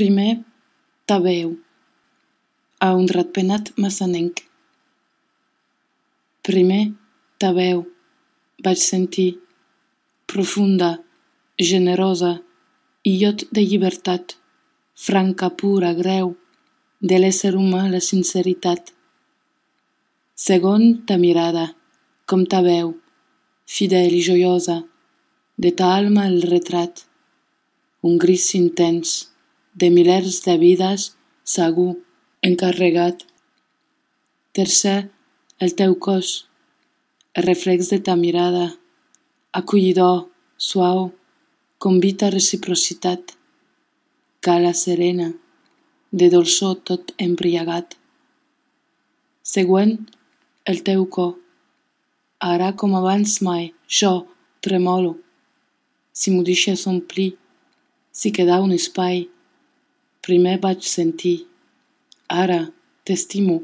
Primer, ta veu, a un ratpenat massanenc. Primer, ta veu, vaig sentir, profunda, generosa, illot de llibertat, franca, pura, greu, de l'ésser humà la sinceritat. Segon, ta mirada, com ta veu, fidel i joiosa, de ta alma el retrat, un gris intens, de milers de vides, segur, encarregat. Tercer, el teu cos, el reflex de ta mirada, acollidor, suau, convita a reciprocitat, cala serena, de dolçor tot embriagat. Següent, el teu cor, ara com abans mai, jo tremolo, si m'ho deixes omplir, si queda un espai. Primer vaig sentir, ara t'estimo.